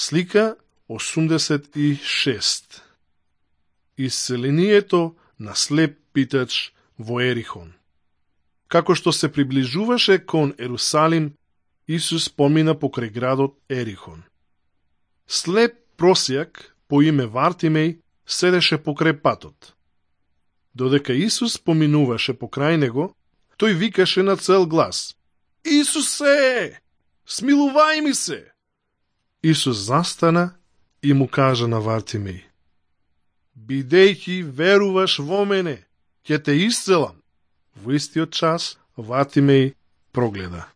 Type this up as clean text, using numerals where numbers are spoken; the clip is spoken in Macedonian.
Слика 86. Исцелението на слеп питач во Ерихон. Како што се приближуваше кон Ерусалим, Исус помина покрај градот Ерихон. Слеп просјак по име Вартимеј седеше покрај патот. Додека Исус поминуваше покрај него, тој викаше на цел глас: Исусе, смилувај ми се! Исус застана и му кажа на Вартимеј: Бидејќи веруваш во мене, ќе те исцелам. Во истиот час Вартимеј прогледа.